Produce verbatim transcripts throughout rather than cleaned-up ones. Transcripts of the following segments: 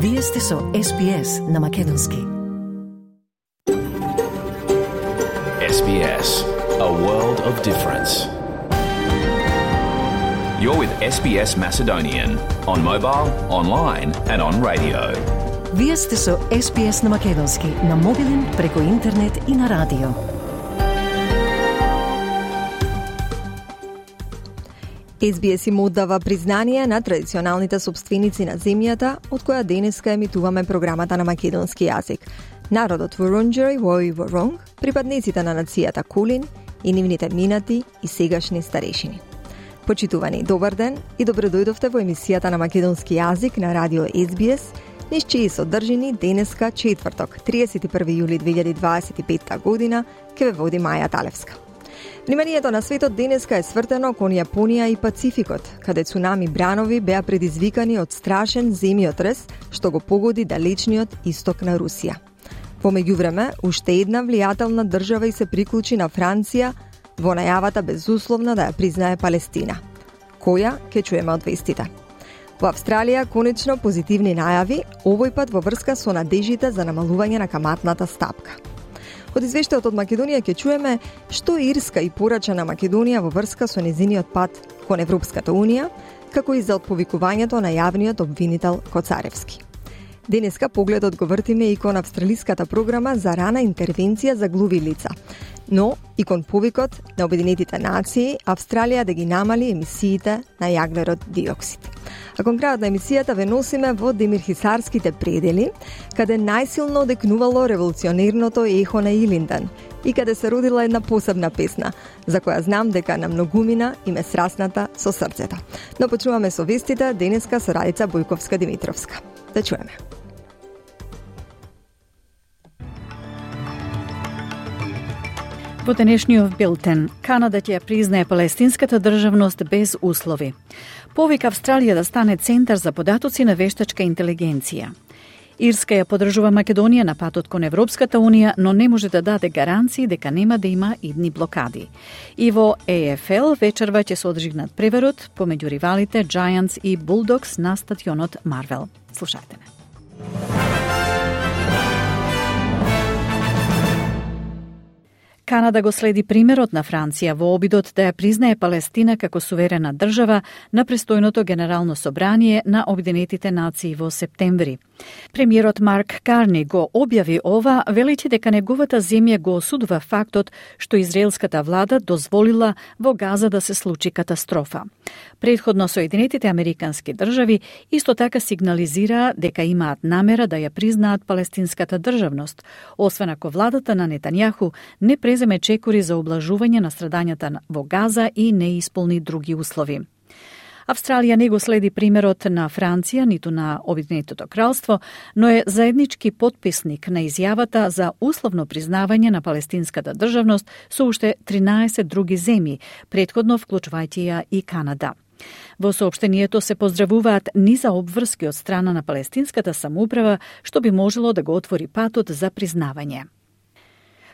Вие сте со Ес Би Ес на Македонски. Ес Би Ес, a world of difference. You're with Ес Би Ес Macedonian on mobile, online and on radio. Вие сте со Ес Би Ес на Македонски на мобилен, преку интернет и на радио. Ес Би Ес им оддава признание на традиционалните собственици на земјата, од која денеска емитуваме програмата на македонски јазик. Народот Вурундџери Вој Воронг, припадниците на нацијата Кулин и нивните минати и сегашни старешини. Почитувани, добар ден и добредојдовте во емисијата на македонски јазик на радио Ес Би Ес, низ чии содржини денеска четврток, триесет и први јули две илјади дваесет и петта година, ке ве води Маја Талевска. Вниманието на светот денеска е свртено кон Јапонија и Пацификот, каде цунами бранови беа предизвикани од страшен земјотрес што го погоди далечниот исток на Русија. Во меѓувреме, уште една влијателна држава и се приклучи на Франција во најавата безусловно да ја признае Палестина. Која ќе чуеме од вестите. Во Австралија конечно позитивни најави, овој пат во врска со надежите за намалување на каматната стапка. Од извештајот од Македонија ќе чуеме што Ирска и порача на Македонија во врска со незиниот пат кон Европската Унија, како и за отповикувањето на јавниот обвинител Коцаревски. Денеска погледот го вртиме и кон австралиската програма за рана интервенција за глуви лица, но и кон повикот на Обединетите нации Австралија да ги намали емисиите на јаглерод диоксид. А кон крајот на емисијата ве носиме во демирхисарските предели, каде најсилно одекнувало револуционерното ехо на Илинден и каде се родила една посебна песна, за која знам дека на многумина им е срасната со срцето. Но почуваме со вестите денеска со Радица Бојковска-Димитровска. Да чуеме. Во денешниот билтен, Канада ќе признае палестинската државност без услови. Повика Австралија да стане центар за податоци на вештачка интелигенција. Ирска ја подржува Македонија на патот кон Европската Унија, но не може да даде гаранции дека нема да има идни блокади. И во Е Еф Ел вечерва ќе се одржи надпреварот помеѓу ривалите Giants и Bulldogs на стадионот Марвел. Слушајте ме. Канада го следи примерот на Франција во обидот да ја признае Палестина како суверена држава на престојното генерално собрание на Обединетите нации во септември. Премиерот Марк Карни го објави ова, велејќи дека неговата земја го осудува фактот што израелската влада дозволила во Газа да се случи катастрофа. Предходно Соединетите американски држави исто така сигнализираа дека имаат намера да ја признаат палестинската државност, освен ако владата на Нетањаху не преземе чекори за облажување на страдањата во Газа и не исполни други услови. Австралија не го следи примерот на Франција, ниту на Обединетото кралство, но е заеднички потписник на изјавата за условно признавање на палестинската државност со уште тринаесет други земји, претходно вклучувајќи ја и Канада. Во соопштението се поздравуваат низа обврски од страна на палестинската самоуправа, што би можело да го отвори патот за признавање.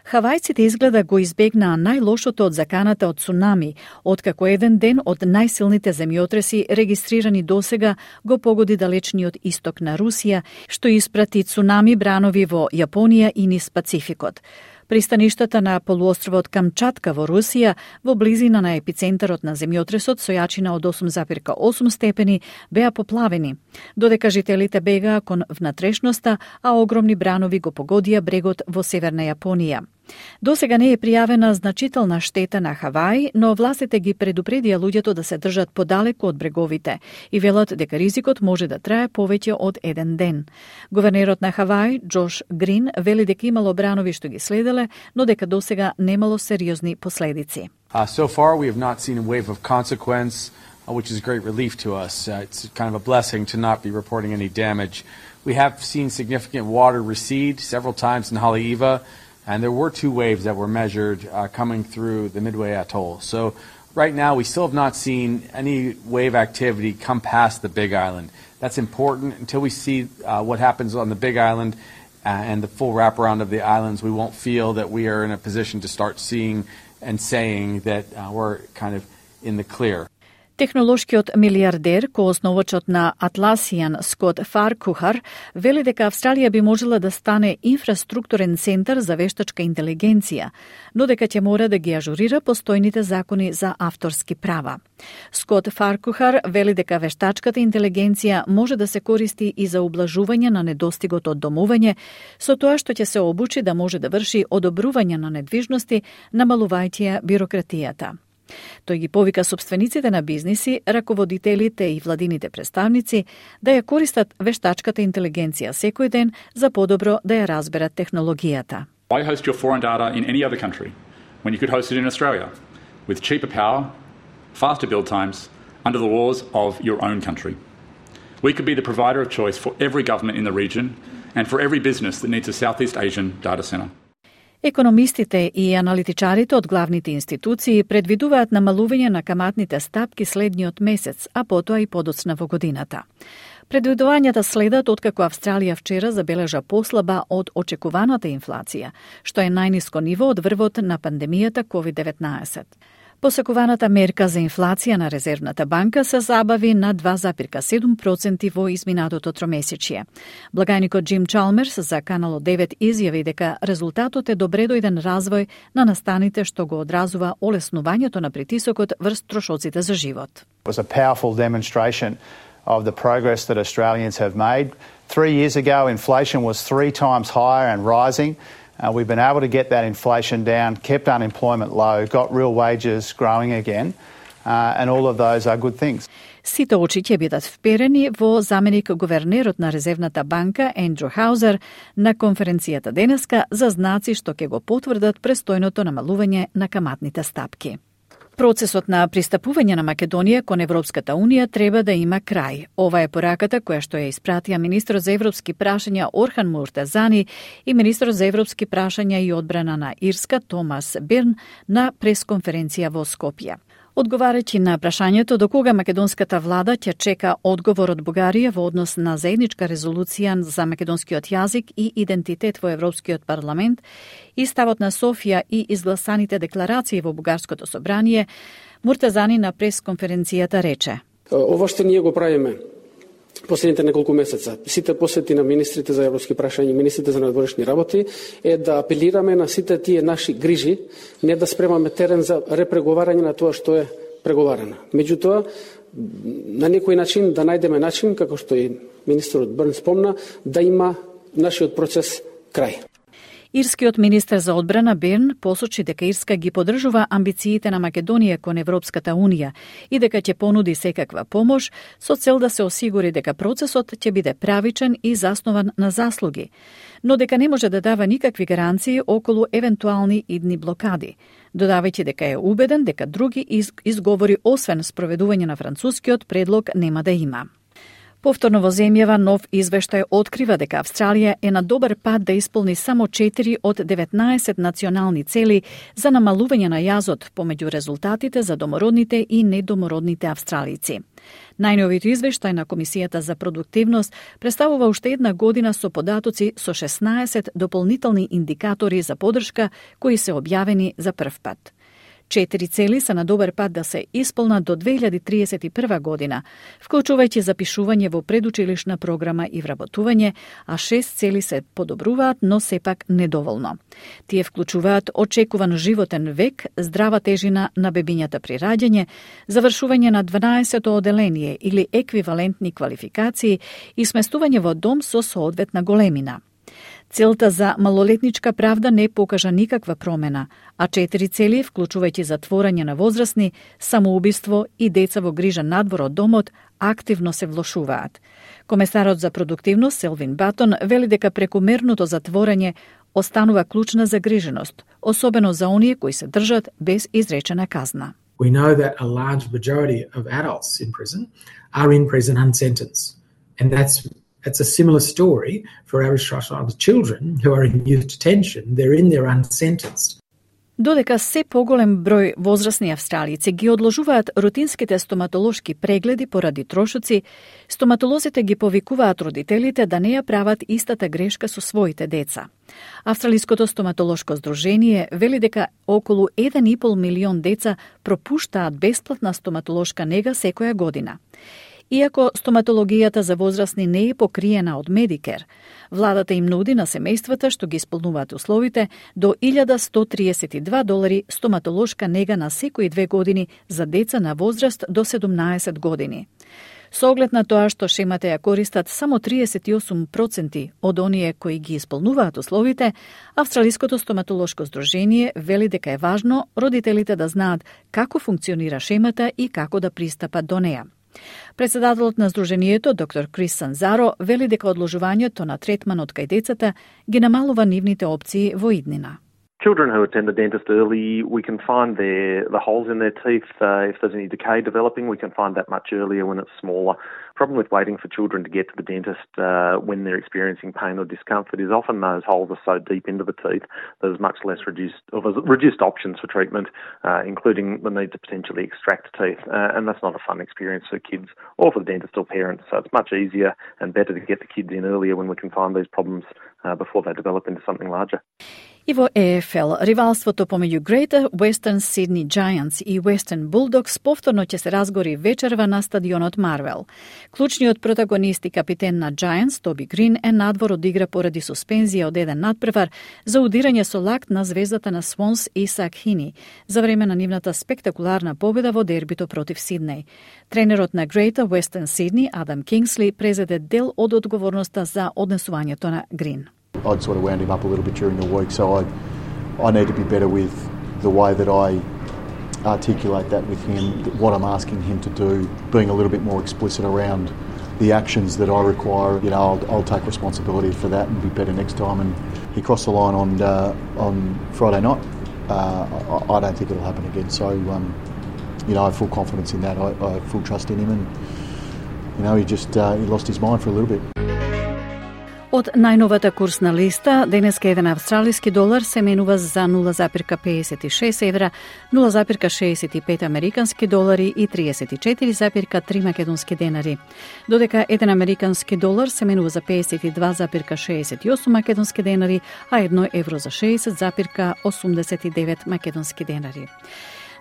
Хавајците изгледа го избегнаа најлошото од заканата од цунами, откако еден ден од најсилните земјотреси регистрирани досега го погоди далечниот исток на Русија, што испрати цунами бранови во Јапонија и низ Пацификот. Пристаништата на полуостровот Камчатка во Русија, во близина на епицентарот на земјотресот со јачина од осум зарез осум степени, беа поплавени, додека жителите бегаа кон внатрешноста, а огромни бранови го погодија брегот во северна Јапонија. Досега не е пријавена значителна штета на Хавај, но властите ги предупредија луѓето да се држат подалеку од бреговите и велат дека ризикот може да трае повеќе од еден ден. Гувернерот на Хавај, Џош Грин, вели дека имало бранови што ги следеле, но дека досега немало сериозни последици. Uh, so far we have not seen a wave of consequence, uh, which is a great relief to us. Uh, it's kind of a blessing to not be reporting any damage. We have seen significant water recede several times in Haleiwa, and there were two waves that were measured uh, coming through the Midway Atoll. So right now we still have not seen any wave activity come past the Big Island. That's important. Until we see uh, what happens on the Big Island uh, and the full wraparound of the islands, we won't feel that we are in a position to start seeing and saying that uh, we're kind of in the clear. Технолошкиот милиардер, коосновачот на Atlassian Скот Фаркухар, вели дека Австралија би можела да стане инфраструктурен центар за вештачка интелигенција, но дека ќе мора да ги ажурира постојните закони за авторски права. Скот Фаркухар вели дека вештачката интелигенција може да се користи и за ублажување на недостигот од домување, со тоа што ќе се обучи да може да врши одобрување на недвижности, намалувајќи бирократијата. Тој ги повика собствениците на бизниси, раководителите и владините представници да ја користат вештачката интелигенција секој ден за подобро да ја разберат технологијата. Why host your foreign data in any other country when you could host it in Australia with cheaper power, faster build times, under the laws of your own country? We could be the provider of choice for every government in the region and for every business that needs a Southeast Asian data center. Економистите и аналитичарите од главните институции предвидуваат намалување на каматните стапки следниот месец, а потоа и подоцна во годината. Предвидувањата следат откако Австралија вчера забележа послаба од очекуваната инфлација, што е најниско ниво од врвот на пандемијата ковид деветнаесет. Посекуваната мерка за инфлација на Резервната банка се забави на два запирка седум проценти во изминатото тромесечје. Благајникот Джим Чалмерс за Канал девет изјави дека резултатот е добредојден развој на настаните што го одразува олеснувањето на притисокот врз трошоците за живот. It was a powerful demonstration of the progress that Australians have made. Three years ago, inflation was three times higher and rising. Uh, we've been able to get that inflation down, kept unemployment low, got real wages growing again, uh, and all of those are good things. Сите очи ќе бидат вперени во заменик гувернерот на Резервната банка Ендрю Хаузер на конференцијата денеска за знаци што ќе го потврдат престојното намалување на каматните стапки. Процесот на пристапување на Македонија кон Европската Унија треба да има крај. Ова е пораката која што ја испратија министрот за европски прашања Орхан Муртазани и министрот за европски прашања и одбрана на Ирска Томас Бирн на пресконференција во Скопје. Одговарајќи на прашањето до кога македонската влада ќе чека одговор од Бугарија во однос на заедничка резолуција за македонскиот јазик и идентитет во Европскиот парламент и ставот на Софија и изгласаните декларации во Бугарското собрание, Муртазани на пресконференцијата рече: Ова што ние го правиме последните неколку месеца, сите посети на министрите за европски прашања и министрите за надворешни работи, е да апелираме на сите тие наши грижи, не да спремаме терен за репреговарање на тоа што е преговарано. Меѓутоа, на некој начин да најдеме начин, како што и министерот Бърн спомна, да има нашиот процес крај. Ирскиот министер за одбрана Берн посочи дека Ирска ги поддржува амбициите на Македонија кон Европската Унија и дека ќе понуди секаква помош со цел да се осигури дека процесот ќе биде правичен и заснован на заслуги, но дека не може да дава никакви гаранции околу евентуални идни блокади, додавајќи дека е убеден дека други изговори освен спроведување на францускиот предлог нема да има. Повторно во земјава нов извештај открива дека Австралија е на добар пат да исполни само четири од деветнаесет национални цели за намалување на јазот помеѓу резултатите за домородните и недомородните австралици. Најновиот извештај на Комисијата за продуктивност представува уште една година со податоци со шеснаесет дополнителни индикатори за поддршка кои се објавени за прв пат. Четири цели се на добар пат да се исполнат до две илјади триесет и прва година, вклучувајќи запишување во предучилишна програма и вработување, а шест цели се подобруваат, но сепак недоволно. Тие вклучуваат очекуван животен век, здрава тежина на бебињата при раѓање, завршување на дванаесето оделение или еквивалентни квалификации и сместување во дом со соодветна големина. Целта за малолетничка правда не покажа никаква промена, а четири цели, вклучувајќи затворање на возрастни, самоубиство и деца во грижа надвор од домот, активно се влошуваат. Комесарот за продуктивност Селвин Батон вели дека прекомерното затворање останува клучна загриженост, особено за оние кои се држат без изречена казна. We know that a large majority of adults in prison are in prison unsentenced, and that's It's a similar story for Aboriginal children who are in youth detention. They're in there unsentenced. Додека се поголем број возрастни австралици ги одложуваат рутинските стоматолошки прегледи поради трошоци, стоматолозите ги повикуваат родителите да не ја прават истата грешка со своите деца. Австралиското стоматолошко здружение вели дека околу еден и пол милион деца пропуштаат бесплатна стоматолошка нега секоја година. Иако стоматологијата за возрастни не е покриена од Медикер, владата им нуди на семејствата што ги исполнуваат условите до илјада сто триесет и два долари стоматолошка нега на секои две години за деца на возраст до седумнаесет години. Со оглед на тоа што шемата ја користат само триесет и осум проценти од оние кои ги исполнуваат условите, Австралиското стоматолошко здружение вели дека е важно родителите да знаат како функционира шемата и како да пристапат до неа. Председателот на здружението, доктор Крис Санзаро, вели дека одложувањето на третманот кај децата ги намалува нивните опции во иднина. Children who attend the dentist early, we can find their, the holes in their teeth. Uh, if there's any decay developing, we can find that much earlier when it's smaller. Problem with waiting for children to get to the dentist uh, when they're experiencing pain or discomfort is often those holes are so deep into the teeth there's much less reduced, or there's reduced options for treatment, uh, including the need to potentially extract teeth. Uh, and that's not a fun experience for kids or for the dentist or parents. So it's much easier and better to get the kids in earlier when we can find these problems uh, before they develop into something larger. И во Е Еф Ел, ривалството помеѓу Greater Western Sydney Giants и Western Bulldogs повторно ќе се разгори вечерва на стадионот Марвел. Клучниот протагонист и капитен на Giants, Тоби Грин, е надвор од игра поради суспензија од еден надпревар за удирање со лакт на звездата на Swans Исак Хини за време на нивната спектакуларна победа во дербито против Сиднеј. Тренерот на Greater Western Sydney, Адам Кингсли, презеде дел од одговорноста за однесувањето на Грин. I'd sort of wound him up a little bit during the week, so I I need to be better with the way that I articulate that with him, what I'm asking him to do, being a little bit more explicit around the actions that I require. You know, I'll, I'll take responsibility for that and be better next time. And he crossed the line on uh, on Friday night. Uh, I, I don't think it'll happen again. So, um, you know, I have full confidence in that. I, I have full trust in him, and you know, he just uh, he lost his mind for a little bit. Од најновата курсна листа, денеска еден австралиски долар се менува за нула запирка педесет и шест евра, нула запирка шеесет и пет американски долари и триесет и четири запирка три македонски денари. Додека еден американски долар се менува за педесет и два запирка шеесет и осум македонски денари, а едно евро за шеесет запирка осумдесет и девет македонски денари.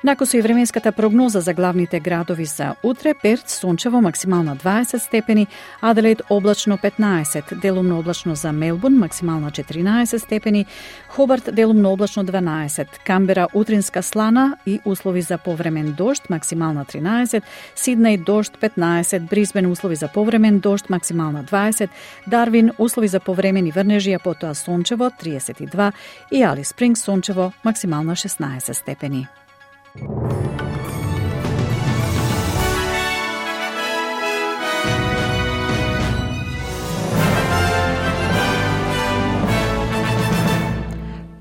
Накусо и временската прогноза за главните градови за утре: Перт сончево максимална дваесет степени, Аделаид облачно петнаесет, делумно облачно за Мелбурн максимална четиринаесет степени, Хобарт делумно облачно дванаесет, Камбера утринска слана и услови за повремен дожд максимална тринаесет, Сиднеј дожд петнаесет, Брисбен услови за повремен дожд максимална дваесет, Дарвин услови за повремени врнежија потоа сончево триесет и два и Алис Спрингс сончево максимална шеснаесет степени.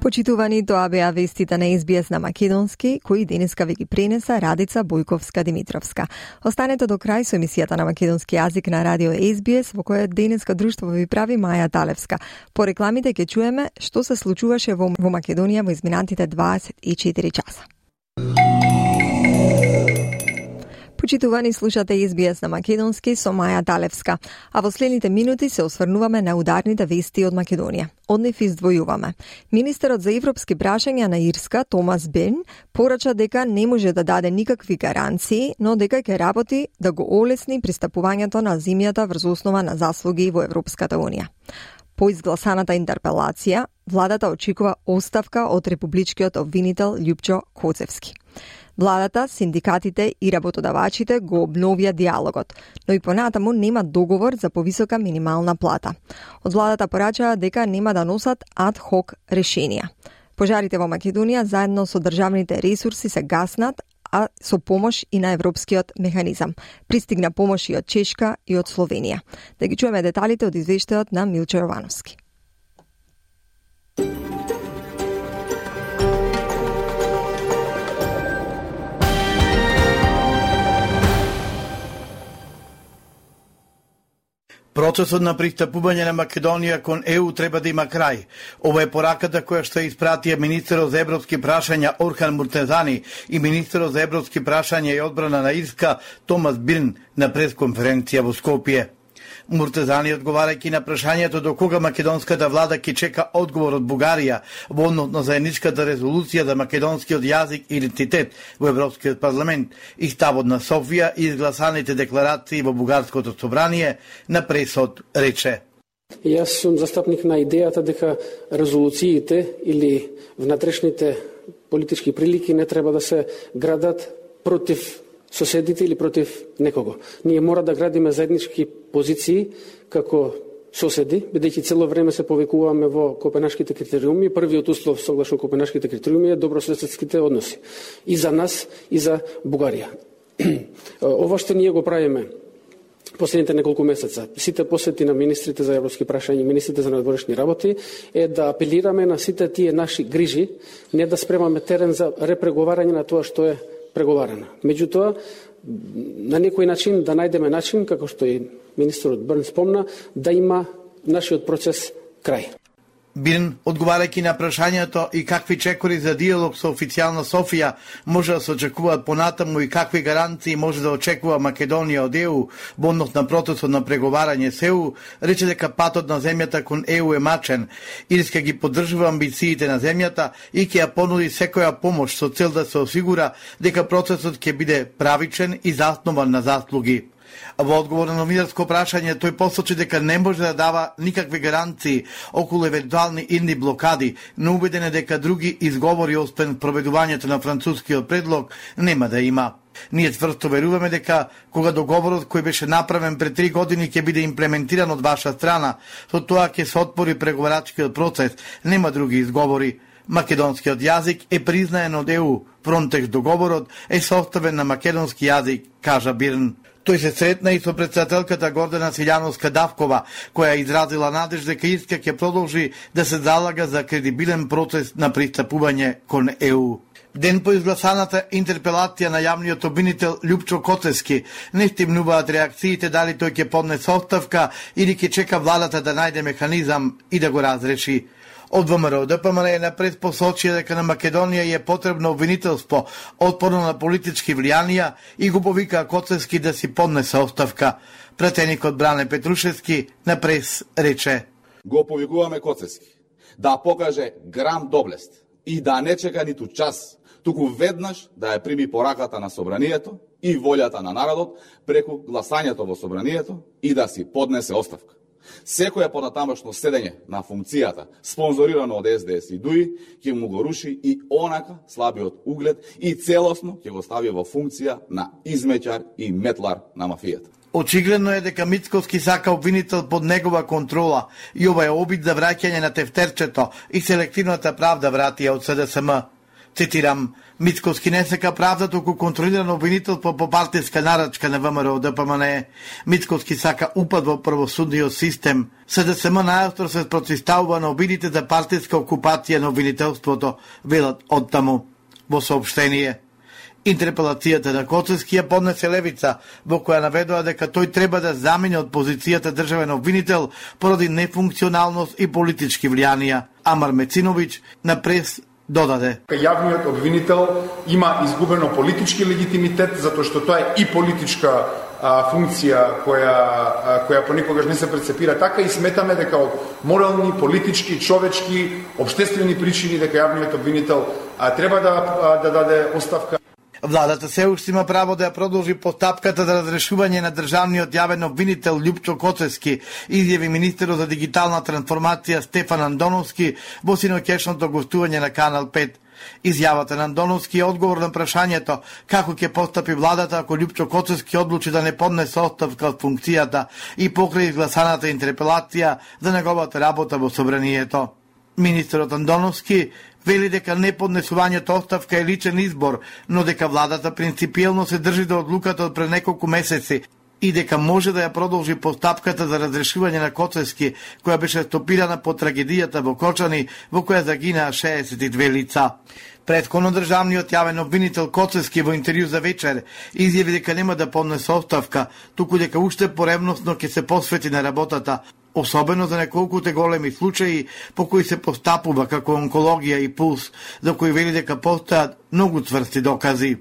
Почитувани, тоа беа вестите на Ес Би Ес на македонски, кои денеска ви ги пренеса Радица Бојковска-Димитровска. Останете до крај со емисијата на македонски јазик на радио Ес Би Ес, во која денеска друштво ви прави Маја Талевска. По рекламите ќе чуеме што се случуваше во, во Македонија во изминатите дваесет и четири часа. Почитувани, слушате Ес Би Ес на македонски со Маја Талевска, а во следните минути се осврнуваме на ударните вести од Македонија. Од нив издвојуваме. Министерот за европски прашања на Ирска, Томас Бен, порача дека не може да даде никакви гаранции, но дека ќе работи да го олесни пристапувањето на земјата врз основа на заслуги во Европската Унија. По изгласаната интерпелација, владата очекува оставка од републичкиот обвинител Љупчо Коцевски. Владата, синдикатите и работодавачите го обновија диалогот, но и понатаму нема договор за повисока минимална плата. Од владата порачаа дека нема да носат ад-хок решенија. Пожарите во Македонија заедно со државните ресурси се гаснат, а со помош и на европскиот механизам. Пристигна помош и од Чешка и од Словенија. Да ги чуеме деталите од извештајот на Милчо Јовановски. Процесот на пристапување на Македонија кон Е У треба да има крај. Ова е пораката која што испратија министерот за европски прашања Орхан Муртезани и министерот за европски прашања и одбрана на Ирска Томас Бирн на пресконференција во Скопје. Муртезани, одговарајќи на прашањето до кога македонската влада ќе чека одговор од Бугарија во однос на заедничката резолуција за македонскиот јазик и идентитет во Европскиот парламент и ставот на Софија и изгласаните декларации во Бугарското собрание, на пресот рече: Јас сум застапник на идејата дека резолуциите или внатрешните политички прилики не треба да се градат против соседите или против некого. Ние мора да градиме заеднички позиции како соседи, бидејќи цело време се повикуваме во Копенашките критериуми. Првиот услов согласно Копенашките критериуми е добрососедските односи и за нас и за Бугарија. Ова што ние го правиме последните неколку месеца, сите посети на министрите за европски прашања и министрите за надворешни работи, е да апелираме на сите тие наши грижи, не да спремаме терен за репреговарање на тоа што е преговарана. Меѓутоа, на некој начин да најдеме начин, како што и министерот Бирн спомна, да има нашиот процес крај. Бирн, одговарајќи на прашањето и какви чекори за диалог со официјална Софија може да се очекуваат понатаму и какви гаранции може да очекува Македонија од Е У во однос на процесот на преговарање с Е У, рече дека патот на земјата кон Е У е мачен. Ирска ги поддржува амбициите на земјата и ќе ја понуди секоја помош со цел да се осигура дека процесот ќе биде правичен и заснован на заслуги. Во одговор на новинарско прашање, тој посочи дека не може да дава никакви гаранции околу евентуални идни блокади, но убеден е дека други изговори освен проведувањето на францускиот предлог нема да има. Ние цврсто веруваме дека кога договорот кој беше направен пред три години ќе биде имплементиран од ваша страна, со тоа ќе се отвори преговарачкиот процес, нема други изговори. Македонскиот јазик е признаен од Е У. Фронтекс договорот е составен на македонски јазик, кажа Бирн. Тој се сретна и со претседателката Гордана Силјановска-Давкова, која изразила надеж дека Ирска ќе продолжи да се залага за кредибилен процес на пристапување кон Е У. Ден по изгласаната интерпелација на јавниот обвинител Љупчо Коцевски, не стимнуваат реакциите дали тој ќе поднесе оставка или ќе чека владата да најде механизам и да го разреши. Од ВМРО Д П М Н напред посочија дека на Македонија е потребно обвинителство отпорно на политички влијанија и го повика Коцевски да си поднесе оставка. Пратеникот Бране Петрушевски на прес рече: Го повикуваме Коцевски да покаже грам доблест и да не чека ниту час, туку веднаш да ја прими пораката на собранието и волјата на народот преку гласањето во собранието и да си поднесе оставка. Секоја понатамошно седење на функцијата, спонзорирано од С Д С и ДУИ, ќе му го руши и онака слабиот углед и целосно ќе го стави во функција на измеќар и метлар на мафијата. Очигледно е дека Мицковски сака обвинител под негова контрола и ова е обид за враќање на тефтерчето и селективната правда вратија од С Д С М. Цитирам: Мицковски не сака правда, туку контролиран обвинителство по партиска нарачка на ВМРО Д П М Н. Мицковски сака упад во правосудниот систем. С Д С М најостро се спротивставува на обидите за партиска окупација на обвинителството, велат оттаму во соопштение. Интерпелацијата на Коцевски ја поднесе Левица, во која наведува дека тој треба да замени од позицијата државен обвинител поради нефункционалност и политички влијанија. Амар Мециновиќ на прес додаде: Јавниот обвинител има изгубено политички легитимитет, затоа што тоа е и политичка а, функција која, а, која понекогаш не се прецепира така, и сметаме дека од морални, политички, човечки, обштествени причини дека јавниот обвинител а, треба да, а, да даде оставка. Владата се уште има право да ја продолжи постапката за разрешување на државниот јавен обвинител Љупчо Коцевски, изјави министерот за дигитална трансформација Стефан Андоновски во синоќешното гостување на Канал пет. Изјавата на Андоновски е одговор на прашањето како ќе постапи владата ако Љупчо Коцевски одлучи да не поднесе оставка од функцијата и покрај изгласаната интерпелација за неговата работа во собранието. Министерот Андоновски вели дека неподнесувањето оставка е личен избор, но дека владата принципиелно се држи до одлуката од пред неколку месеци и дека може да ја продолжи постапката за разрешување на Коцевски, која беше стопирана по трагедијата во Кочани, во која загинаа шеесет и две лица. Претходно државниот јавен обвинител Коцевски во интервју за вечер изјави дека нема да поднесе оставка, туку дека уште поревносно ќе се посвети на работата, особено за неколкуте големи случаи по кои се постапува како онкологија и пулс, за кои вели дека постојат многу цврсти докази.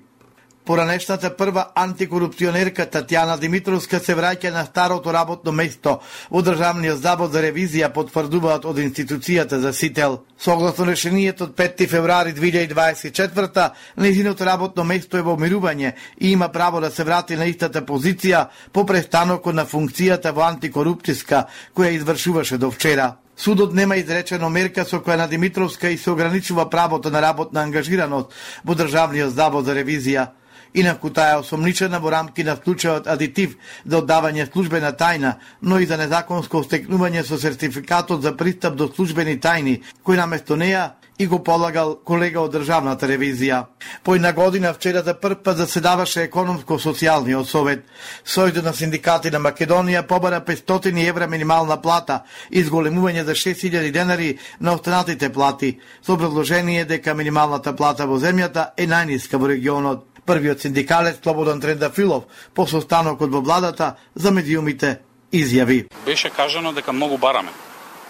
Поранешната прва антикорупционерка Татјана Димитровска се враќа на старото работно место во Државниот завод за ревизија, потврдуваат од институцијата за Сител. Согласно решението од петти февруари две илјади дваесет и четврта, нејзиното работно место е во мирување и има право да се врати на истата позиција по престанокот на функцијата во антикорупцијска која извршуваше до вчера. Судот нема изречено мерка со која на Димитровска и се ограничува правото на работна ангажираност во Државниот завод за ревизија. Инаку таа е осомничена во рамки на случајот адитив за оддавање службена тајна, но и за незаконско стекнување со сертификатот за пристап до службени тајни, кој наместо неа и го полагал колега од Државната ревизија. По една година вчера за прв пат заседаваше економско-социјалниот совет. Сојузот на синдикати на Македонија побара петстотини евра минимална плата и зголемување за шест илјади денари на останатите плати, со образложение дека минималната плата во земјата е најниска во регионот. Првиот синдикалец Слободан Трендафилов по состанокот во владата за медиумите изјави: беше кажано дека многу бараме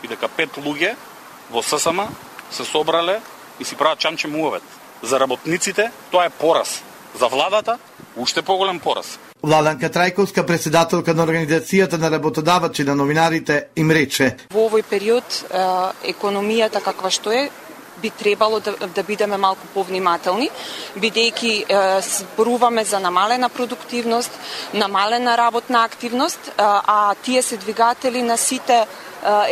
и дека пет луѓе во ССМ се собрале и си прават чамче муавет. За работниците тоа е пораз. За владата уште поголем пораз. Владанка Трајковска, председателка на Организацијата на работодавачи на новинарите, им рече: во овој период економијата каква што е, би требало да, да бидеме малку повнимателни, бидејќи е, зборуваме за намалена продуктивност, намалена работна активност, а, а тие се двигатели на сите е,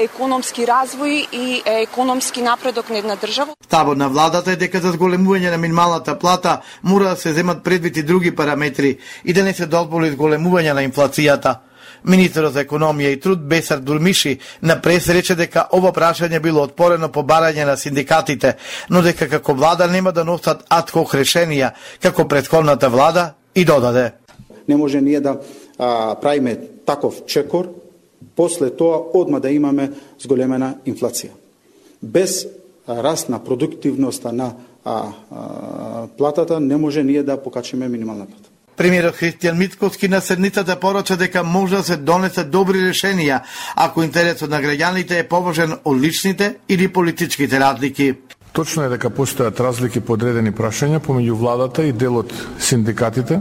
економски развој и е, економски напредок на една држава. Ставот на владата е дека за зголемување на минималната плата мора да се земат предвид и други параметри и да не се дозволи зголемување на инфлацијата. Министерот за економија и труд Бесар Дурмиши на прес рече дека ова прашање било отпорено по барање на синдикатите, но дека како влада нема да носат ад-хок решенија, како претходната влада, и додаде: не може ние да а, правиме таков чекор, после тоа одма да имаме зголемена инфлација. Без а, раст на продуктивноста на а, а, платата не може ние да покачиме минимална плата. Премиерот Христијан Мицкоски на седницата порача дека може да се донесат добри решенија ако интересот на граѓаните е поважен од личните или политичките разлики. Точно е дека постојат разлики по одредени прашања помеѓу владата и дел од синдикатите,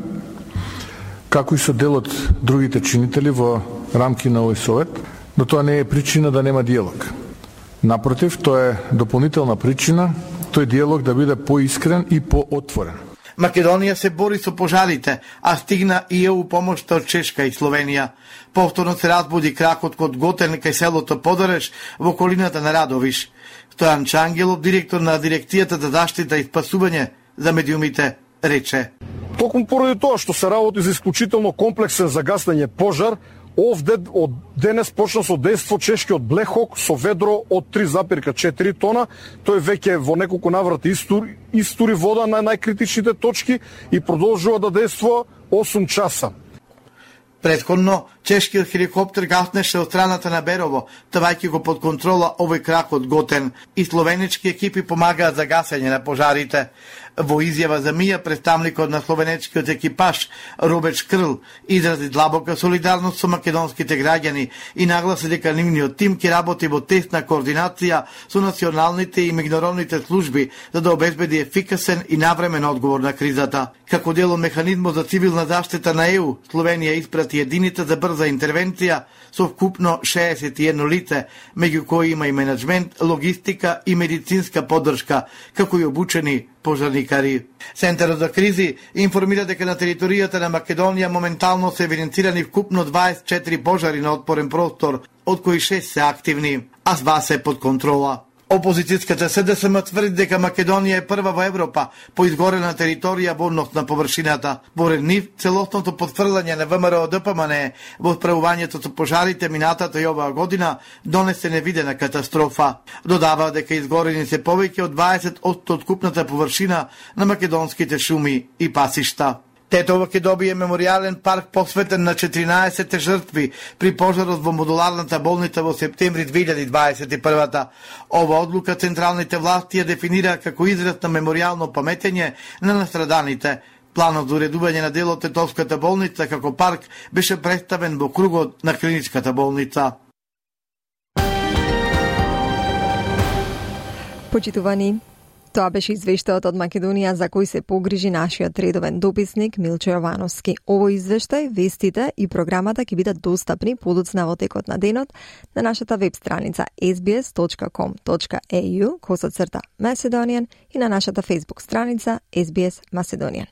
како и со дел од другите чинители во рамки на овој совет, но тоа не е причина да нема диалог. Напротив, тоа е дополнителна причина тој диалог да биде поискрен и поотворен. Македонија се бори со пожарите, а стигна и ЕУ помошта од Чешка и Словенија. Повторно се разбуди кракот код Готен кај селото Подареш во околината на Радовиш. Стојан Чангелов, директор на Дирекцијата за заштита и спасување за медиумите, рече: токму поради тоа што се работи за исклучително комплексен за гаснење пожар, овде од денес почна со дејство чешкиот Блехок со ведро од три запирка четири тона. Тој веќе во неколку наврати истури, истури вода на најкритичните точки и продолжува да дејствува осум часа. Претходно, чешкиот хеликоптер гаснеше од страната на Берово, тавајќи го под контрола овој крак од Готен, и словенечки екипи помагаат за гасење на пожарите. Во изјава за Мија, представникот на словенечкиот екипаж Робеч Крл изрази длабока солидарност со македонските граѓани и нагласи дека нивниот тим ќе работи во тесна координација со националните и меѓународните служби за да обезбеди ефикасен и навремен одговор на кризата. Како дел од механизмот за цивилна заштита на ЕУ, Словенија испрати единица за брза интервенција со вкупно шеесет и едно лице, меѓу кои има и менеджмент, логистика и медицинска поддршка, како и обучени пожарникари. Центарот за кризи информира дека на територијата на Македонија моментално се евиденцирани вкупно дваесет и четири пожари на отпорен простор, од кои шест се активни, а два се под контрола. Опозицијската СДСМ тврди дека Македонија е прва во Европа по изгорена територија во однос на површината. Поред нив, целосното потврлање на ВМРО ДПМН во справувањето со пожарите минатата и оваа година донесе невидена катастрофа. Додава дека изгорени се повеќе од дваесет одсто од купната површина на македонските шуми и пасишта. Тетово ќе добие меморијален парк посветен на четиринаесет жртви при пожарот во модуларната болница во септември две илјади дваесет и прва. Ова одлука централните власти ја дефинира како израз на меморијално паметење на настраданите. Планот за уредување на дел од Тетовската болница како парк беше представен во кругот на клиничката болница. Почитувани, тоа беше извештајот од Македонија за кој се погрижи нашиот редовен дописник Милчо Јовановски. Овој извештај, вестите и програмата ќе бидат достапни подоцна во текот на денот на нашата веб страница ес би ес точка ком точка е ю косацрта Macedonian и на нашата Facebook страница ес би ес Macedonian.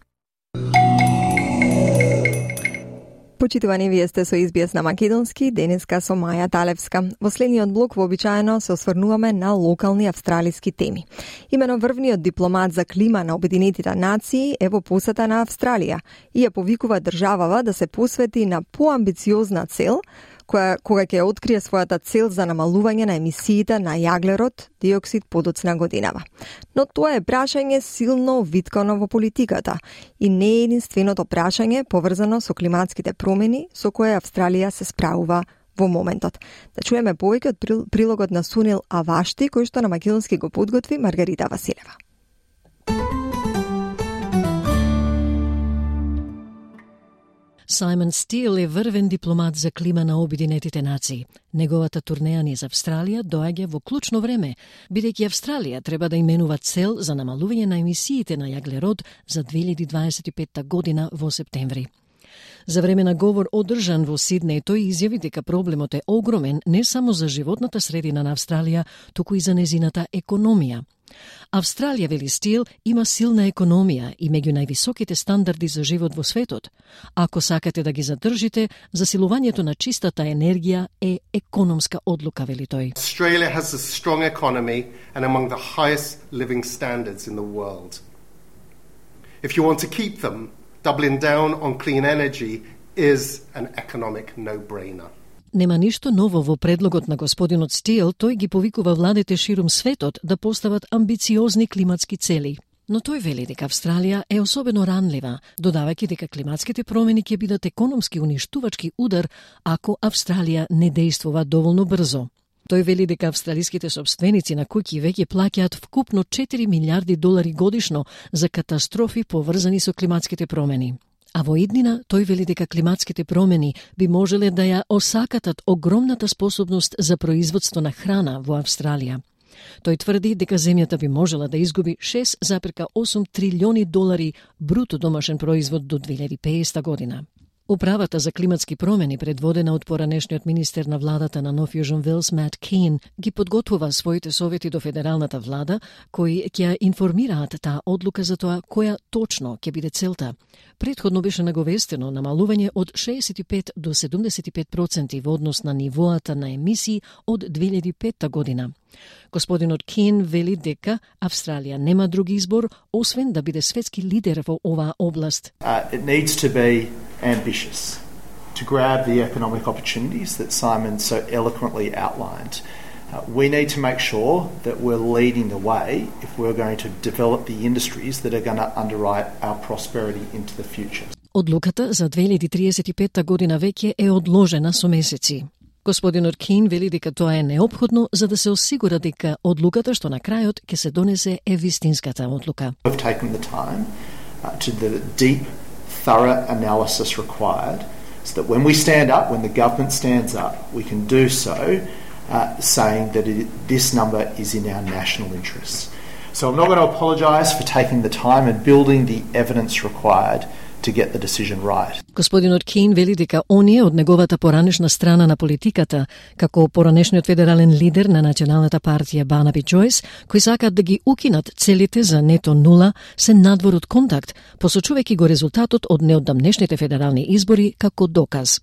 Почитувани, вие сте со ес би ес на македонски, денеска со Маја Талевска. Во следниот блок вообичаено се осврнуваме на локални австралиски теми. Имено врвниот дипломат за клима на Обединетите нации е во посета на Австралија и ја повикува државава да се посвети на поамбициозна цел, која кога ќе открие својата цел за намалување на емисиите на јаглерод диоксид подоцна годинава. Но тоа е прашање силно виткано во политиката и не е единственото прашање поврзано со климатските промени со кое Австралија се справува во моментот. Да чуеме повеќе од прилогот на Сунил Авашти, кој што на македонски го подготви Маргарита Василева. Саймон Стил е врвен дипломат за клима на Обединетите нации. Неговата турнеја низ Австралија доаѓа во клучно време, бидејќи Австралија треба да именува цел за намалување на емисиите на јаглерод за две илјади дваесет и петта година во септември. За време на говор одржан во Сиднеј, тој изјави дека проблемот е огромен не само за животната средина на Австралија, туку и за незината економија. Австралија, вели Стил, има силна економија и меѓу највисоките стандарди за живот во светот. Ако сакате да ги задржите, засилувањето на чистата енергија е економска одлука, вели тој. Australia has a strong economy and among the highest living standards in the world. If you want to keep them, doubling down on clean energy is an economic no-brainer. Нема ништо ново во предлогот на господинот Стил, тој ги повикува владите ширум светот да постават амбициозни климатски цели. Но тој вели дека Австралија е особено ранлива, додавајќи дека климатските промени ќе бидат економски уништувачки удар ако Австралија не действува доволно брзо. Тој вели дека австралиските собственици на куќи веќе плаќаат вкупно четири милиарди долари годишно за катастрофи поврзани со климатските промени. А во иднина тој вели дека климатските промени би можеле да ја осакатат огромната способност за производство на храна во Австралија. Тој тврди дека земјата би можела да изгуби шест зарез осум трилиони долари бруто домашен производ до две илјади и педесета година. Управата за климатски промени, предводена од поранешниот министер на владата на Нов Јужен Велс Мат Кейн, ги подготвува своите совети до федералната влада, кои ќе информираат таа одлука за тоа која точно ќе биде целта. Претходно беше наговестено намалување од шеесет и пет до седумдесет и пет проценти во однос на нивоата на емисии од две илјади и петта година. Господинот Кейн вели дека Австралија нема друг избор освен да биде светски лидер во оваа област. Uh, it needs to be ambitious to grab the economic opportunities that Simon so eloquently outlined. Uh, we need to make sure that we're leading the way if we're going to develop the industries that are going to underwrite our prosperity into the future. Одлуката за две илјади триесет и петта година веќе е одложена со месеци. Господинот Кейн вели дека тоа е неопходно за да се осигура дека одлуката што на крајот ќе се донесе е вистинската одлука. We've taken the time uh, to the deep, thorough analysis required so that when we stand up, when the government stands up, we can do so uh, saying that it, this number is in our national interests. So I'm not going to apologise for taking the time and building the evidence required to get the decision right. Господинот Кейн вели дека оние од неговата поранешна страна на политиката, како поранешниот федерален лидер на националната партија Барнаби Джойс, кои сакаат да ги укинат целите за нето нула, се надвор од контакт, посочувајќи го резултатот од неодамнешните федерални избори како доказ.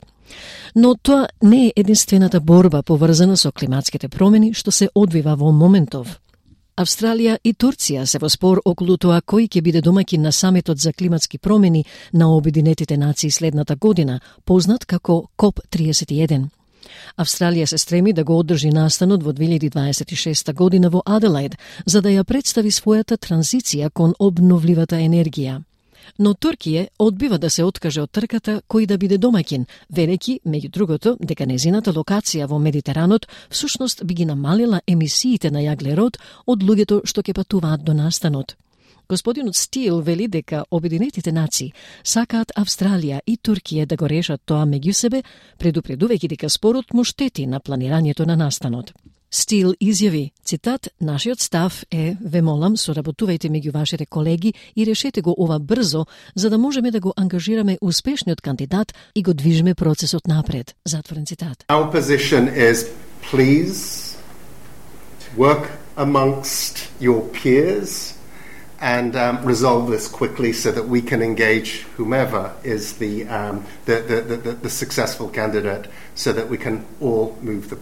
Но тоа не е единствената борба поврзана со климатските промени што се одвива во моментов. Австралија и Турција се во спор околу тоа кој ќе биде домаќин на самитот за климатски промени на Обединетите нации следната година, познат како коп триесет и еден. Австралија се стреми да го одржи настанот во две илјади дваесет и шеста година во Аделаид, за да ја представи својата транзиција кон обновливата енергија. Но Туркија одбива да се откаже од трката кој да биде домаќин, велејќи, меѓу другото, дека незината локација во Медитеранот всушност би ги намалила емисиите на јаглерод од луѓето што ќе патуваат до настанот. Господинот Стил вели дека Обединетите нации сакаат Австралија и Туркија да го решат тоа меѓу себе, предупредувајќи дека спорот му штети на планирањето на настанот. Стил изјави, цитат, нашиот став е, ве молам, соработувајте меѓу вашите колеги и решете го ова брзо, за да можеме да го ангажираме успешниот кандидат и го движиме процесот напред. Затворен цитат. Our position is, please work amongst your peers and um, resolve this quickly so that we can engage whomever is the, um, the, the, the, the successful candidate so that we can all move the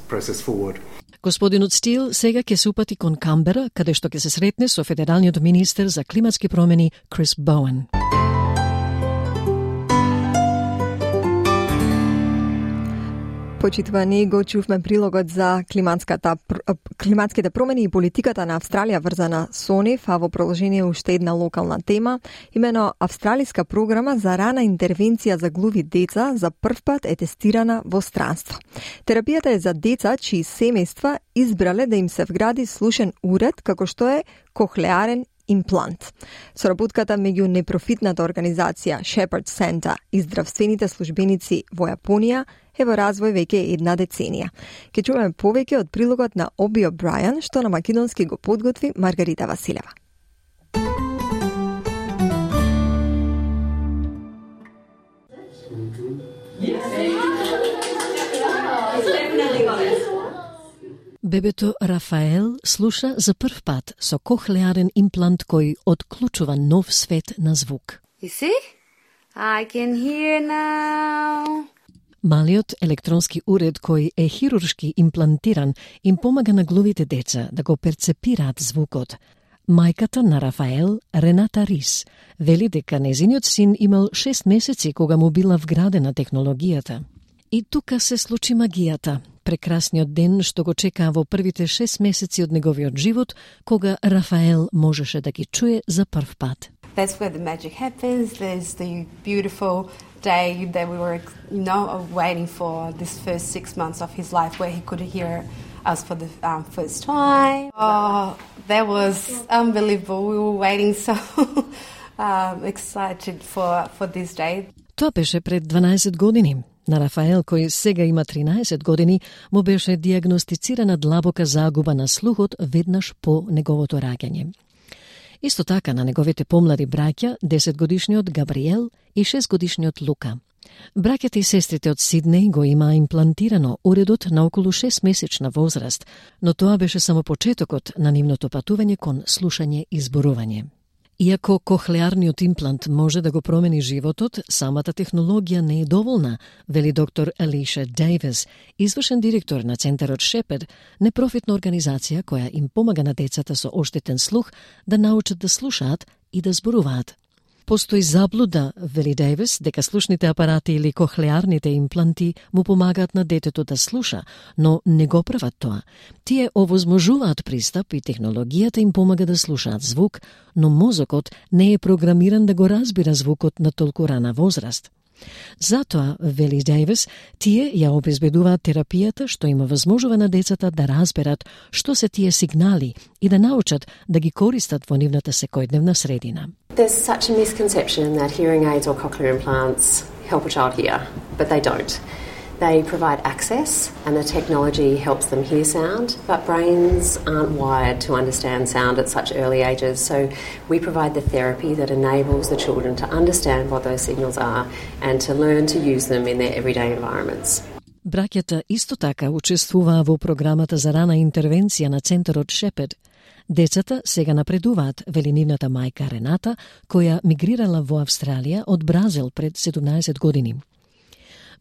process forward. Господинот Стил сега ќе се упати кон Камбера, каде што ќе се сретне со федералниот министер за климатски промени Крис Боуен. Почитувани, го чувме прилогот за климатската, климатските промени и политиката на Австралија врзана со нив, а во продолжение уште една локална тема, имено австралиска програма за рана интервенција за глуви деца за првпат е тестирана во странство. Терапијата е за деца чии семејства избрале да им се вгради слушен уред како што е кохлеарен имплант. Соработката меѓу непрофитната организација Shepherd Center и здравствените службеници во Јапонија е во развој веќе една деценија. Ке чуеме повеќе од прилогот на Оби О'Брајан, што на македонски го подготви Маргарита Василева. Бебето Рафаел слуша за прв пат со кохлеарен имплант кој отклучува нов свет на звук. You see? I can hear now. Малиот електронски уред кој е хируршки имплантиран им помага на глувите деца да го перцепираат звукот. Мајката на Рафаел, Рената Рис, вели дека незиниот син имал шест месеци кога му била вградена технологијата. И тука се случи магијата, прекрасниот ден што го чекаа во првите шест месеци од неговиот живот, кога Рафаел можеше да ги чуе за прв пат. That's where the magic happens. There's the beautiful day that we were, you know, waiting for this first six months of his life where he could hear us for the um, first time. Oh, that was unbelievable. We were waiting so um, excited for, for this day. Тоа беше пред дванаесет години. На Рафаел, кој сега има тринаесет години, му беше диагностицирана длабока загуба на слухот веднаш по неговото раѓање. Исто така на неговите помлади браќа, десетгодишниот Габриел и шестгодишниот Лука. Браќата и сестрите од Сиднеј го имаа имплантирано уредот на околу шестмесечна возраст, но тоа беше само почетокот на нивното патување кон слушање и зборување. Иако кохлеарниот имплант може да го промени животот, самата технологија не е доволна, вели доктор Алиша Дейвис, извршен директор на Центарот Shepherd, непрофитна организација која им помага на децата со оштетен слух да научат да слушаат и да зборуваат. Постои заблуда, вели Дейвис, дека слушните апарати или кохлеарните импланти му помагаат на детето да слуша, но не го прават тоа. Тие овозможуваат пристап и технологијата им помага да слушаат звук, но мозокот не е програмиран да го разбира звукот на толку рана возраст. Затоа, вели Дейвис, тие ја обезбедуваат терапијата што им овозможува на децата да разберат што се тие сигнали и да научат да ги користат во нивната секојдневна средина. There's such a misconception that hearing aids or cochlear implants help a child hear, but they don't. They provide access and the technology helps them hear sound, but brains aren't wired to understand sound at such early ages, so we provide the therapy that enables the children to understand what those signals are and to learn to use them in their everyday environments. Браќата исто така учествуваа во програмата за рана интервенција на Центарот Shepherd. Децата сега напредуваат, вели нивната мајка Рената, која мигрирала во Австралија од Бразил пред седумнаесет години.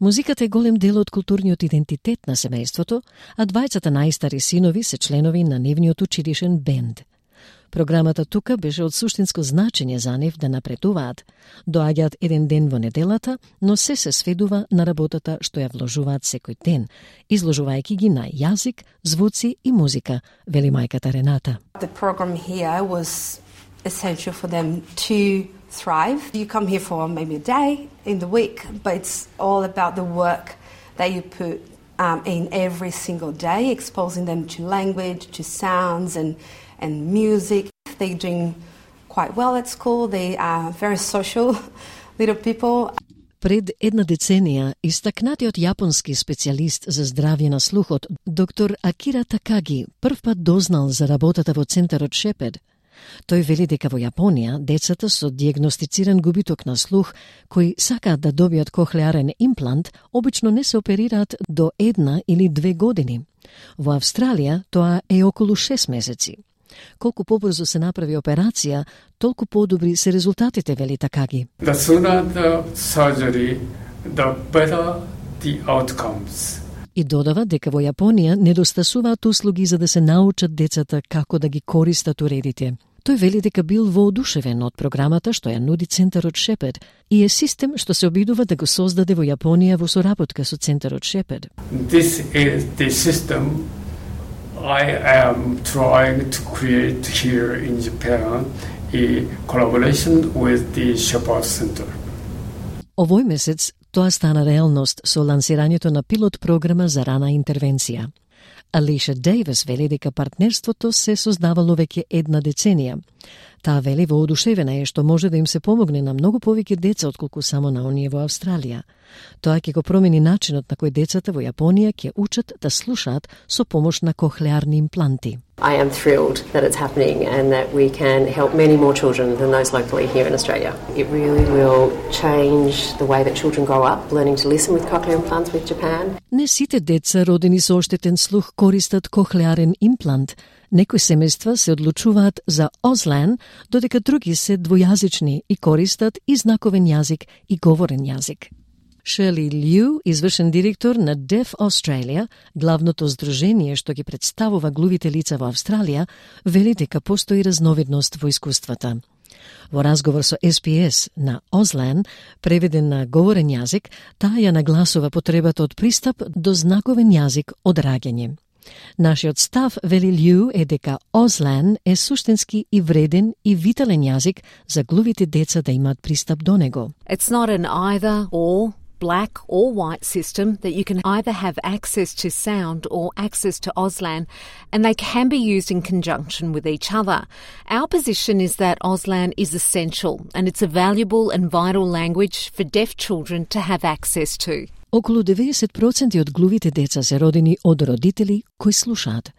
Музиката е голем дел од културниот идентитет на семејството, а двајцата најстари синови се членови на нивниот училишен бенд. Програмата тука беше од суштинско значење за нив да напредуваат. Доаѓаат еден ден во неделата, но се се сведува на работата што ја вложуваат секој ден, изложувајќи ги на јазик, звуци и музика, вели мајката Рената. The program here was essential for them to thrive. You come here for maybe a day in the week, but it's all about the work that you put um, in every single day, exposing them to language, to sounds and, and music. They're doing quite well at school. They are very social little people. Пред една деценија, истакнатиот јапонски специјалист за здравје на слухот, доктор Акира Такаги, прв пат дознал за работата во центарот Шепед. Тој вели дека во Јапонија децата со дијагностициран губиток на слух, кои сакаат да добијат кохлеарен имплант, обично не се оперираат до една или две години. Во Австралија тоа е околу шест месеци. Колку побрзо се направи операција, толку подобри се резултатите, вели Такаги. The sooner the surgery, the better the outcomes. И додава дека во Јапонија недостасуваат услуги за да се научат децата како да ги користат уредите. Тој вели дека бил воодушевен од програмата што ја нуди центарот Шепед и е систем што се обидува да го создаде во Јапонија во соработка со центарот Шепед. This is the system I am trying to create here in Japan in collaboration with the Shepherd Center. Овој месец тоа стана реалност со лансирањето на пилот програма за рана интервенција. Алиша Дейвис вели дека партнерството се создавало веќе една деценија. Таа вели воодушевена е што може да им се помогне на многу повеќе деца отколку само на оние во Австралија. Тоа ќе го промени начинот на кој децата во Јапонија ќе учат да слушаат со помош на кохлеарни импланти. I am thrilled that it's happening and that we can help many more children than those locally here in Australia. It really will change the way that children grow up, learning to listen with cochlear implants with Japan. Не сите деца родени со оштетен слух користат кохлеарен имплант. Некои семејства се одлучуваат за Auslan, додека други се двојазични и користат и знаковен јазик и говорен јазик. Шерли Лју, извршен директор на Deaf Australia, главното здружение што ги представува глувите лица во Австралија, вели дека постои разновидност во искуствата. Во разговор со Ес Би Ес на Auslan, преведен на говорен јазик, таа ја нагласува потребата од пристап до знаковен јазик од раѓање. Нашиот став, вели Лју, е дека Auslan е суштински и вреден и витален јазик за глувите деца да имаат пристап до него. It's not an either or black or white system, that you can either have access to sound or access to Auslan, and they can be used in conjunction with each other. Our position is that Auslan is essential and it's a valuable and vital language for deaf children to have access to. Околу деветдесет проценти од глувите деца се родени од родители кои слушаат.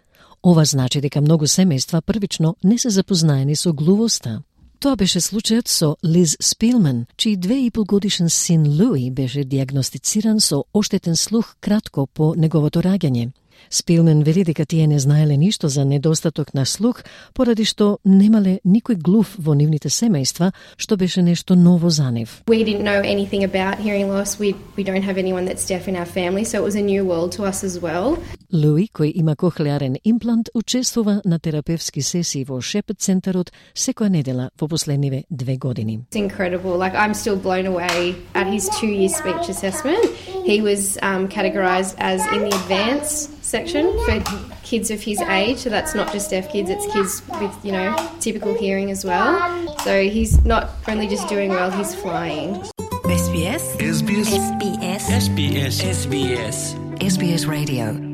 Ова значи дека многу семејства првично не се запознаени со глувоста. Тоа беше случајот со Лиз Спилман, чиј две и пол годишен син Луи беше диагностициран со оштетен слух кратко по неговото раѓање. Спилман вели дека тие не знаеле ништо за недостаток на слух, поради што немале никој глув во нивните семејства, што беше нешто ново за нив. We didn't know anything about hearing loss. We we don't have anyone that's deaf in our family, so it was a new world to us as well. Луи, кој има кохлеарен имплант, учествува на терапевски сесии во Шепед центарот секоја недела во последниве две години. It's incredible. Like, I'm still blown away at his two-year speech assessment. He was um, categorised as in the advanced section for kids of his age, so that's not just deaf kids, it's kids with, you know, typical hearing as well. So he's not only just doing well, he's flying. Ес Би Ес Ес Би Ес Ес Би Ес Ес Би Ес Ес Би Ес Ес Би Ес Radio.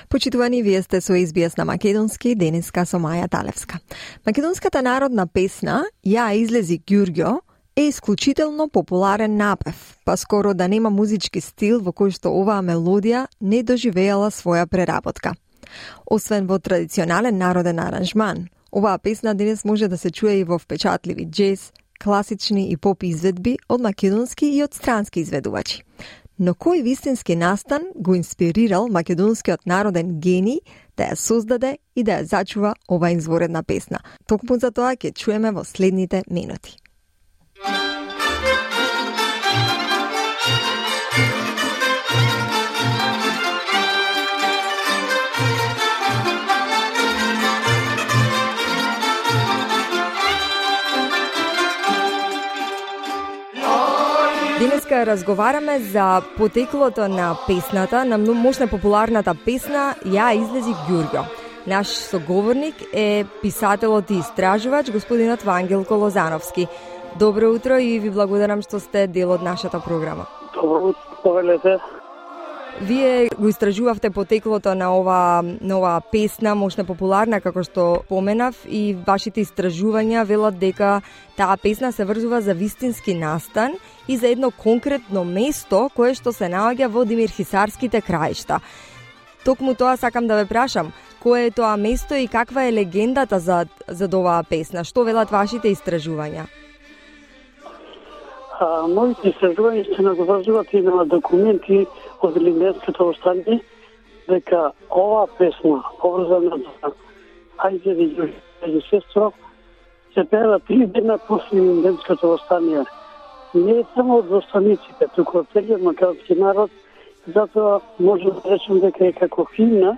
Почитувани, вие сте со Ес Би Ес на македонски, денеска со Маја Талевска. Македонската народна песна Ја излези Ѓурѓо е исклучително популарен напев, па скоро да нема музички стил во кој што оваа мелодија не доживеала своја преработка. Освен во традиционален народен аранжман, оваа песна денес може да се чуе и во впечатливи джез, класични и поп изведби од македонски и од странски изведувачи. Но кој вистински настан го инспирирал македонскиот народен гений да ја создаде и да ја зачува оваа изворедна песна? Токму за тоа ќе чуеме во следните минути. Денеска разговараме за потеклото на песната, на мощна популарната песна Ја излези Ѓурѓо. Наш соговорник е писателот и истражувач господинот Вангелко Лозановски. Добро утро и ви благодарам што сте дел од нашата програма. Добро утро, повелете. Вие го истражувавте потеклото на ова на оваа песна, мощна популарна како што поменав, и вашите истражувања велат дека таа песна се врзува за вистински настан и за едно конкретно место кое што се наоѓа во Димирхисарските краишта. Токму тоа сакам да ве прашам, кое е тоа место и каква е легендата за за оваа песна? Што велат вашите истражувања? А, моите истражувања се надврзуваат и на документи од Илинденското востание, дека оваа песна, поврзана за Ајде и сестро, се пеела три дена после Илинденското востание. Не е само од востаниците, туку од целиот македонски народ, затоа може да речем дека е како химна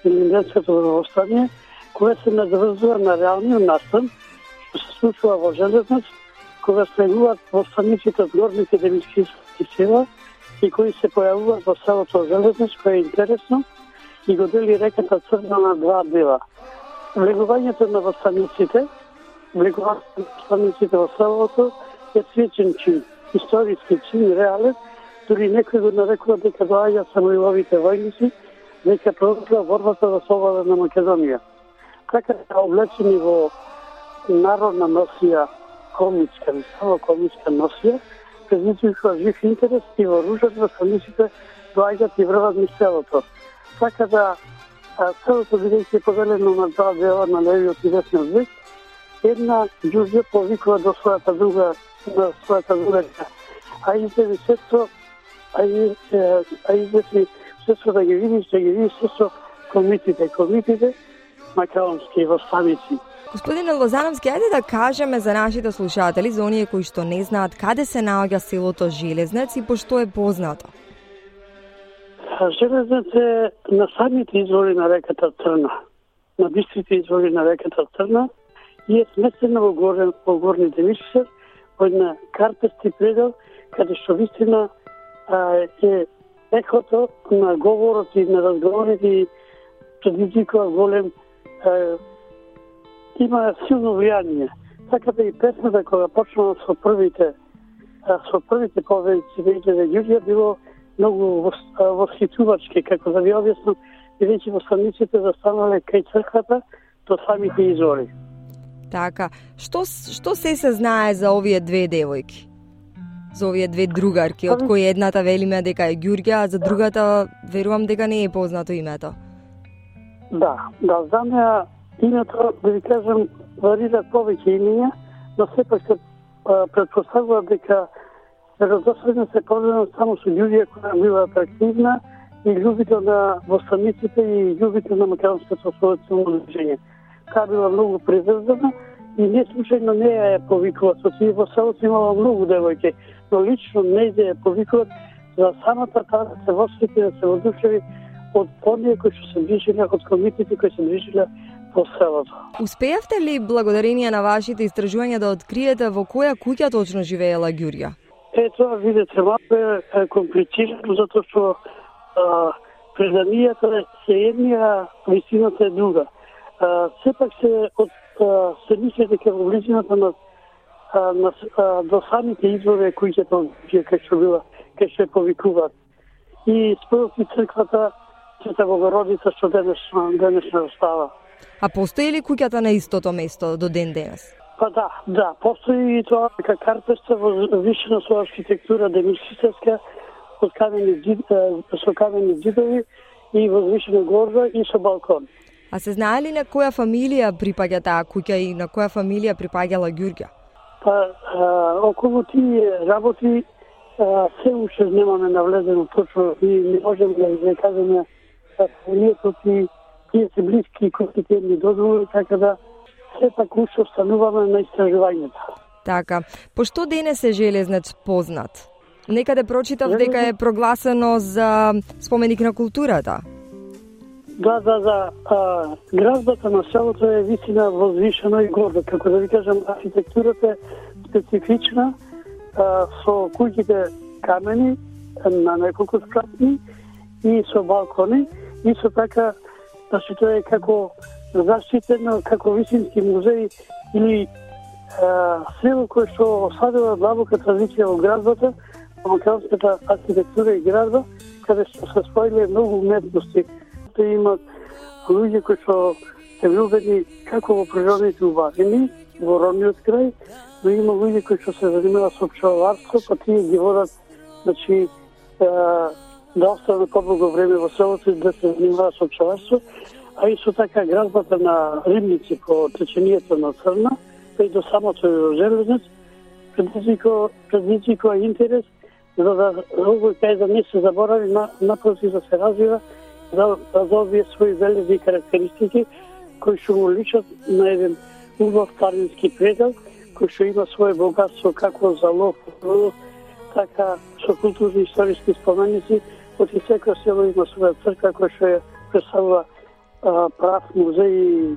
Илинденското востание, кое се надврзува на реалниот настан, што се случува во Железнач, кога слегуваат востаниците од горните демискински села и кои се појавуваат во селото Железнач, кое е интересно, и го дели реката Црна на два дела. Влегувањето на востаниците, влегувањето на востаниците во селото е свечен чин, историски чин, реален, дури некој го нарекува дека доаѓа самоиловите војници, дека продолжува борбата за слобода на Македонија. Така се облечени во народна носија, комичка, само комичка носија, предизвикува жив интерес и вооружат востаниците доаѓаат и врват низ селото. Така да селото бидејќи е поделено на два дела, на левиот и десниот век, една Ѓурѓа повикува до својата друга, на својата друга, а изеви сестро, а изеви сестро да ги видиш, да ги видиш сестро комитите, комитите македонски востаници. Господине Лозановски, ајде да кажеме за нашите слушатели, за оние кои што не знаат каде се наоѓа селото Железнец и пошто е познато. Железнец е на самите извори на реката Црна, на бистрите извори на реката Црна, и е сместена во, горен, во горни Демишкар, во една карпести предел, каде што вистина е ехото на говорот и на разговорите и предизвикува голем, а, има силно влијание. Така да и песната кога почнала со првите со првите поведици на Ѓурѓа било многу восхитувачки, како да ви објаснам, бидејќи востаниците застанале кај црквата до самите извори. Така, што што се се знае за овие две девојки? За овие две другарки, од кои едната велиме дека е Ѓурѓа, а за другата верувам дека не е познато името. Да, да, за неа името, да ви кажам, варират повеќе имења, но сепак се предпоставува дека веродостојно се поврзано само со Ѓурѓа, која била атрактивна и љубител на востаниците и љубител на македонското ослободително движење. Таа била многу приврзана и не случајно неја ја повикуваат. Со тие во селото имало многу девојки, но лично нејзе ја повикуваат за самата таа да се восхити, да се одушеви од оние кои што се движеле, од комитите кои се движеле по селото. Успеавте ли благодарение на вашите истражувања да откриете во која куќа точно живеела Ѓурѓа? Е, тоа видите, малку е комплицирано, затоа што преданијата се едни, а вистината е друга. А, сепак се од а, се мисли дека во близината на, а, на а, до самите извори куќата кај што била, кај што повикуваат. И според и црквата Света Богородица што денешна денешна остава. А постои ли куќата на истото место до ден денес? Па да, да, постои и тоа дека карпеста возвишена со архитектура демискиска, од камени џидови, со камени џидови и возвишена горба и со балкон. А се знае ли на која фамилија припаѓа таа куќа и на која фамилија припаѓала Ѓурѓа? Па, а, околу тие работи а, се уште немаме навлезено точно и не можеме да изрекажеме фамилијата и тие се блиски кои тие ни дозволи, така да сепак уште остануваме на истражувањето. Така, пошто денес е Железнец познат? Некаде прочитав дека е прогласено за споменик на културата. Да, да, да. А, градбата на селото е вистина возвишена и горда. Како да ви кажам, архитектурата е специфична, а, со куќите камени на неколку спратни и со балкони. И со така Значи, тоа е како заштитено, како висински музеј или село кое што осадува длабока традиција во градбата, македонската архитектура и градба, каде што се споиле многу уметности. Те имат луѓе кои што се влюбени како во природните убавини, во родниот крај, но има луѓе кои што се занимаваат со пчеларство, па тие ги водат, значи, да останат подолго време во селото и да се занимаваат со пчеларство, а исто така градбата на рибници по течението на Црна, па и до самото железнец, предизвикува предизвикува интерес за да овој кај да не се заборави, на, напротив да се развива, да, да добие своји велики карактеристики кои што му личат на еден убав планински предел, кој што има свое богатство како за лов, така со културни историски споменици, оти секој село има своја црква која што ја представува прав музеј и,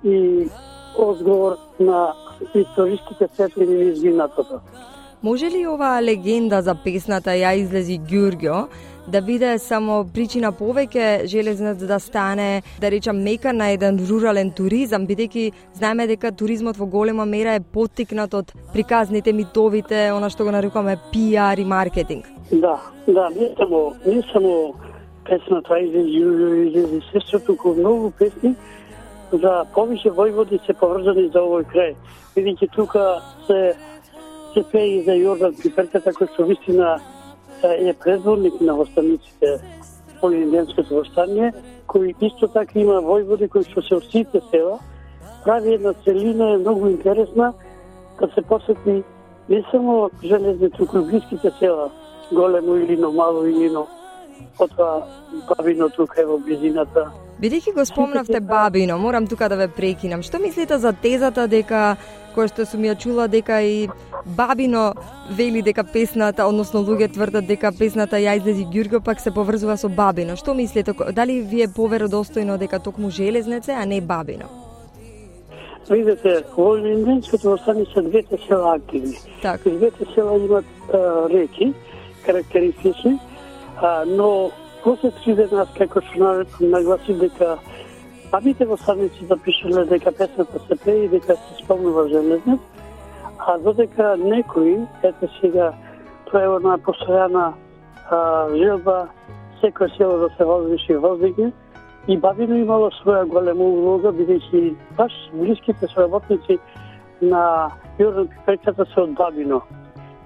и одговор на историските светлини низ изгинатото. Може ли оваа легенда за песната Ја излези Ѓурѓо да биде само причина повеќе железнец да стане, да речам, мека на еден рурален туризам, бидејќи знаеме дека туризмот во голема мера е поттикнат од приказните, митовите, она што го нарекуваме пи ар и маркетинг? Да, да, не само, не само песната излези Ѓурѓо, излези сестра, туку многу песни за повеќе војводи се поврзани за овој крај. Бидејќи тука се се пее за Јордан Пиперката, кој што вистина е предворник на востаниците во Илинденското востание, кој исто така има војводи кои што се од сите села, прави една целина, е многу интересна, да се посети не само железни, туку и блиските села, Големо Илино, Мало Илино, потоа Бабино тука е во близината. Бидејќи го спомнавте Бабино, морам тука да ве прекинам. Што мислите за тезата дека, која што сум ја чула, дека и Бабино вели дека песната, односно луѓе тврдат дека песната Ја излези Ѓурѓо пак се поврзува со Бабино. Што мислите? Дали ви е поверодостојно дека токму железнеце, а не Бабино? Видете, во Илинденското востание се двете села активни. Так. Двете села имат а, реки, карактеристични, а, но после три дена, како што нагласи дека бабите востаници запишале дека песната се пее и дека се спомнува железнец, а додека некои, ете сега, тоа е една постојана желба, секој село да се возвиши и воздигне, и Бабино имало своја голема улога, бидејќи баш блиските соработници на Јордан Пиперката се од Бабино.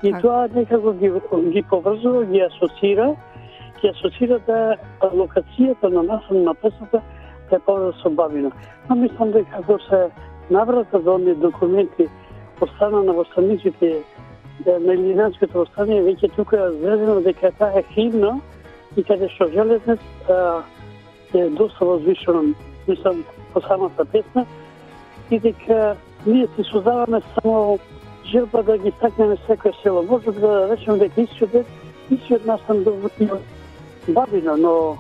И а... тоа некако ги, ги поврзува, ги асоцира, ги асоцира да локацијата на насам на песната да е поврзана со Бабино. Но мислам дека ако се наврата до оние документи од страна на востаниците на Илинденското востание, веќе тука е заведено дека таа е химна и каде што железнец е доста возвишено, мислам, по самата песна, и дека ние си создаваме само желба да ги стакнеме секој село. Може да речеме дека исчедет, исчед настан до Бабино, но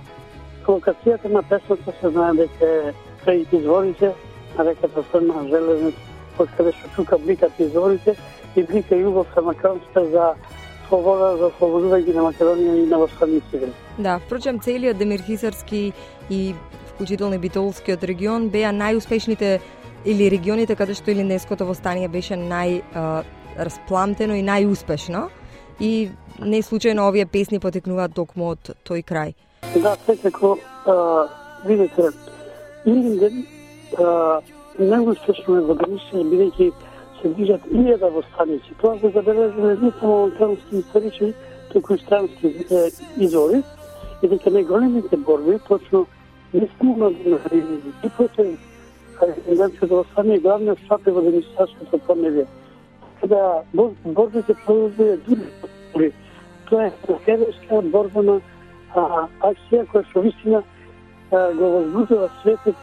локацијата на песната се знае дека е крај изворите на реката Црна, железнец, од каде што тука бликат изворите и блика љубовта македонска за слобода, за слободување на Македонија и на востаниците. Да, впрочем, целиот Демирхисарски и вклучително и Битолскиот регион беа најуспешните или регионите каде што Илинденското востание беше најраспламтено и најуспешно, и не случајно овие песни потекнуваат токму од тој крај. Да, секако, видите, Илинден најуспешно е во Гришен, бидејќи се движат илјада востаници. Тоа се забележува не само македонски исторични, туку и странски извори, и дека најголемите борби, точно не само на Илинден, и против Илинденското востание, главниот штаб е во Демирхисарското поднебје. Када борбите продолжуваат дури, тоа е следваща борбена акција која што вистина го возбудува светот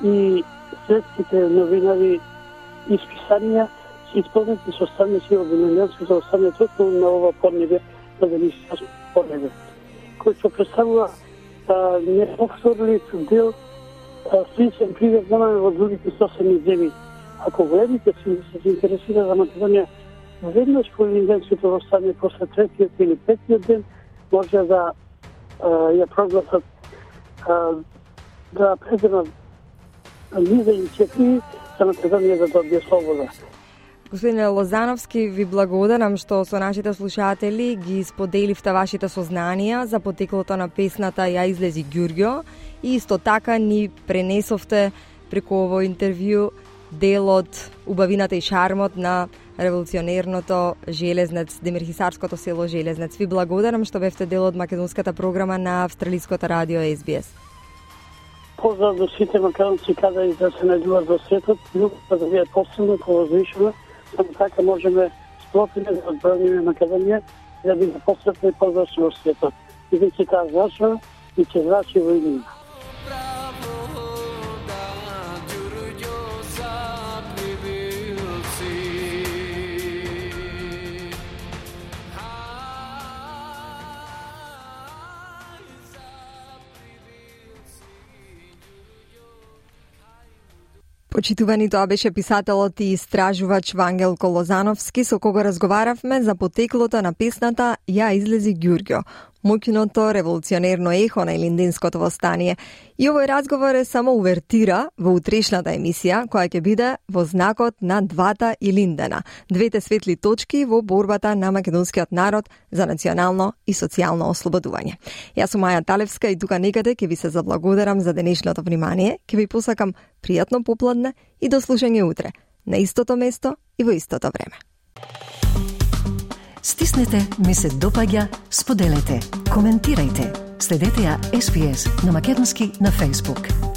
и светските новинари и списанија се исполнети со станици од Илинденското востание токму на ова поднебје, на Демирхисарското поднебје, кој што представува неповторлив дел, сличен пример немаме во другите соседни земји. Ако големите си се интересира за Македонија, веднаш по Илинденското востание после третиот или петиот ден може да а, ја прогласат а, да предемат низа иницијативи за Македонија да добие слобода. Господине Лозановски, ви благодарам што со нашите слушатели ги споделивте вашите сознанија за потеклото на песната Ја излези Ѓурѓо и исто така ни пренесовте преку овој интервју делот, убавината и шармот на револуционерното Железнец, Демирхисарското село Железнец. Ви благодарам што бевте дел од македонската програма на Австралиското радио Ес Би Ес. Поздрав до сите македонци каде и да се најдуваат во светот, љубовта да биде посилна, повозвишена, само така можеме сплотиме да одбраниме Македонија и да биде посветна и позвачна во светот. И веќе таа зрачна и ќе зрачи во иднина. Почитувани, тоа беше писателот и истражувач Вангелко Лозановски, со кого разговаравме за потеклото на песната Ја излези Ѓурѓо, моќното револуционерно ехо на Илинденското востание. И овој разговор е само увертира во утрешната емисија, која ќе биде во знакот на двата Илиндена, двете светли точки во борбата на македонскиот народ за национално и социјално ослободување. Јас сум Маја Талевска и тука некаде ќе ви се заблагодарам за денешното внимание, ќе ви посакам пријатно попладне и до слушање утре, на истото место и во истото време. Стиснете, ми се допаѓа, споделете, коментирајте. Следете ја Ес Би Ес на македонски на Facebook.